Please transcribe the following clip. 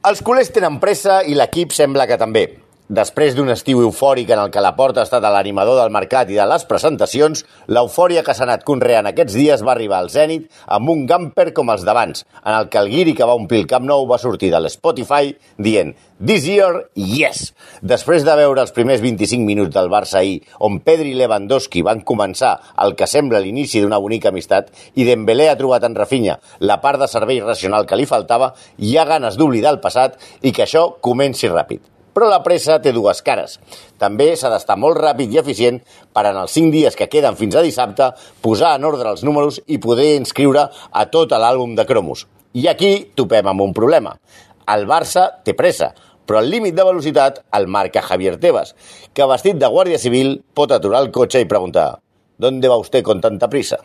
Els culers tenen pressa i l'equip sembla que també. Després d'un estiu eufòric en el que la Porta ha estat l'animador del mercat i de les presentacions, l'eufòria que s'ha anat conreant aquests dies va arribar al zènit amb un gamper com els d'abans, en el que el guiri que va omplir el Camp Nou va sortir de l'Spotify dient «This year, yes!». Després de veure els primers 25 minuts del Barça ahir, on Pedri i Lewandowski van començar el que sembla l'inici d'una bonica amistat i Dembélé ha trobat en Rafinha la part de servei racional que li faltava, hi ha ganes d'oblidar el passat i que això comenci ràpid. Però la pressa té dues cares. També s'ha d'estar molt ràpid i eficient per en els 5 dies que queden fins a dissabte posar en ordre els números i poder inscriure a tot l'àlbum de cromos. I aquí topem amb un problema. El Barça té pressa, però el límit de velocitat el marca Javier Tebas, que vestit de guàrdia civil pot aturar el cotxe i preguntar «¿Dónde va usted con tanta prisa?».